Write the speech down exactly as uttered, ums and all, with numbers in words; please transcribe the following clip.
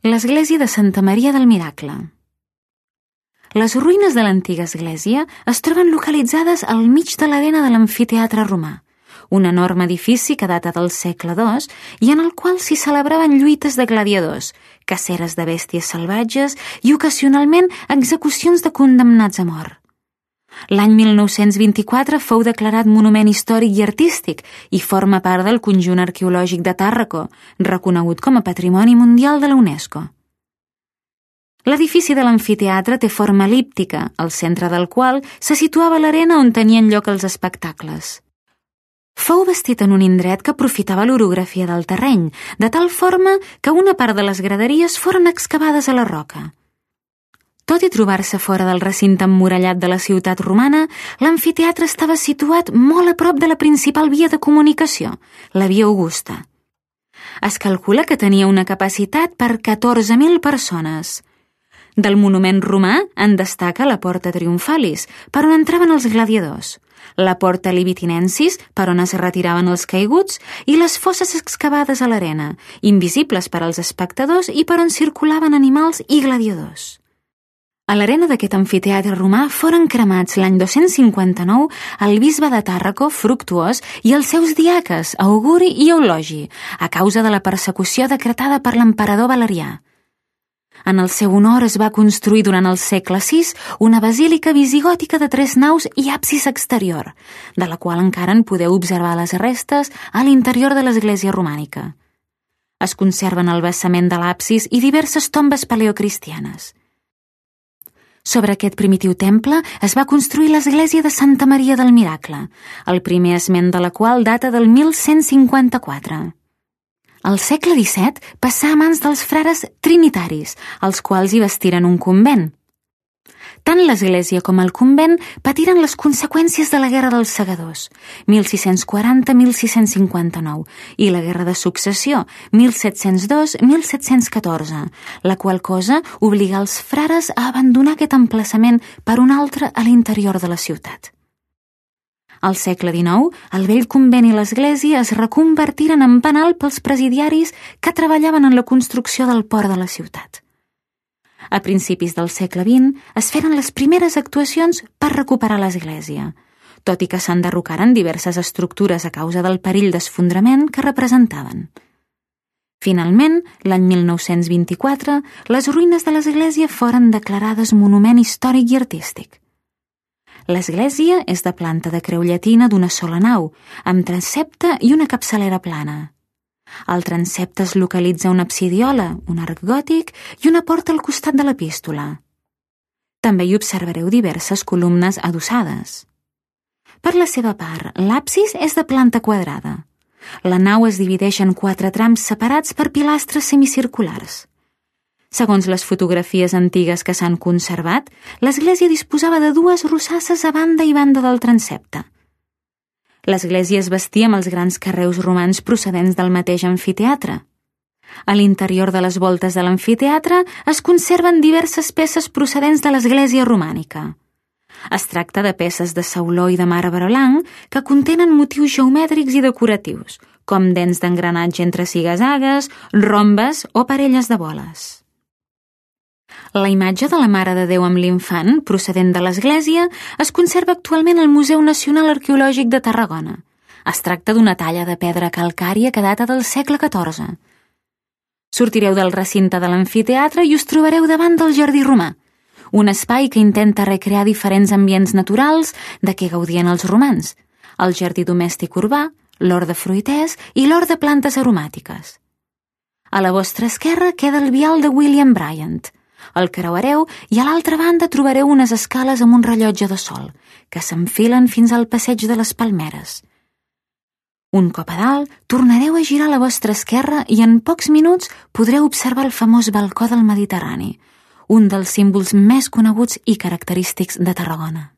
L'església de Santa Maria del Miracle. Les ruïnes de l'antiga església es troben localitzades al mig de l'arena de l'amfiteatre romà, un enorme edifici que data del segle dos i en el qual s'hi celebraven lluites de gladiadors, caceres de bèsties salvatges i ocasionalment execucions de condemnats a mort. L'any mil nou-cents vint-i-quatre fou declarat Monument Històric i Artístic i forma part del conjunt arqueològic de Tàrraco, reconegut com a Patrimoni Mundial de la UNESCO. L'edifici de l'amfiteatre té forma el·líptica, al centre del qual se situava l'arena on tenien lloc els espectacles. Fou bastit en un indret que aprofitava l'orografia del terreny, de tal forma que una part de les graderies foren excavades a la roca. Tot i trobar-se fora del recinte emmurallat de la ciutat romana, l'amfiteatre estava situat molt a prop de la principal via de comunicació, la via Augusta. Es calcula que tenia una capacitat per catorze mil persones. Del monument romà en destaca la Porta Triomfalis, per on entraven els gladiadors, la Porta Libitinensis, per on es retiraven els caiguts, i les fosses excavades a l'arena, invisibles per als espectadors i per on circulaven animals i gladiadors. A l'arena d'aquest amfiteatre romà foren cremats l'any dos-cents cinquanta-nou el bisbe de Tàrraco, Fructuós, i els seus diaques, Auguri i Eulogi, a causa de la persecució decretada per l'emperador Valerià. En el seu honor es va construir durant el segle sis una basílica visigòtica de tres naus i absis exterior, de la qual encara en podeu observar les restes a l'interior de l'església romànica. Es conserven el basament de l'absis i diverses tombes paleocristianes. Sobre aquest primitiu temple es va construir l'església de Santa Maria del Miracle, el primer esment de la qual data del mil cent cinquanta-quatre. Al segle disset passà a mans dels frares trinitaris, els quals hi bastiren un convent. Tant l'església com el convent patiren les conseqüències de la Guerra dels Segadors, mil sis-cents quaranta a mil sis-cents cinquanta-nou, i la Guerra de Successió, mil set-cents dos a mil set-cents catorze, la qual cosa obliga els frares a abandonar aquest emplaçament per un altre a l'interior de la ciutat. Al segle dinou, el vell convent i l'església es reconvertiren en penal pels presidiaris que treballaven en la construcció del port de la ciutat. A principis del segle vint es feren les primeres actuacions per recuperar l'església, tot i que s'enderrocaren diverses estructures a causa del perill d'esfondrament que representaven. Finalment, l'any mil nou-cents vint-i-quatre, les ruïnes de l'església foren declarades Monument Històric i Artístic. L'església és de planta de creu llatina d'una sola nau, amb transsepte i una capçalera plana. Al transsepte es localitza una absidiola, un arc gòtic i una porta al costat de l'epístola. També hi observareu diverses columnes adossades. Per la seva part, l'absis és de planta quadrada. La nau es divideix en quatre trams separats per pilastres semicirculars. Segons les fotografies antigues que s'han conservat, l'església disposava de dues rosasses a banda i banda del transsepte. L'església es bastia amb els grans carreus romans procedents del mateix amfiteatre. A l'interior de les voltes de l'amfiteatre es conserven diverses peces procedents de l'església romànica. Es tracta de peces de sauló i de marbre blanc que contenen motius geomètrics i decoratius, com dents d'engranatge entre ziga-zagues, rombes o parelles de boles. La imatge de la Mare de Déu amb l'Infant, procedent de l'església, es conserva actualment al Museu Nacional Arqueològic de Tarragona. Es tracta d'una talla de pedra calcària que data del segle catorze. Sortireu del recinte de l'amfiteatre i us trobareu davant del Jardí Romà, un espai que intenta recrear diferents ambients naturals de què gaudien els romans, el jardí domèstic urbà, l'hort de fruiters i l'hort de plantes aromàtiques. A la vostra esquerra queda el vial de William Bryant. El creuareu i a l'altra banda trobareu unes escales amb un rellotge de sol, que s'enfilen fins al passeig de les Palmeres. Un cop a dalt, tornareu a girar a la vostra esquerra i en pocs minuts podreu observar el famós balcó del Mediterrani, un dels símbols més coneguts i característics de Tarragona.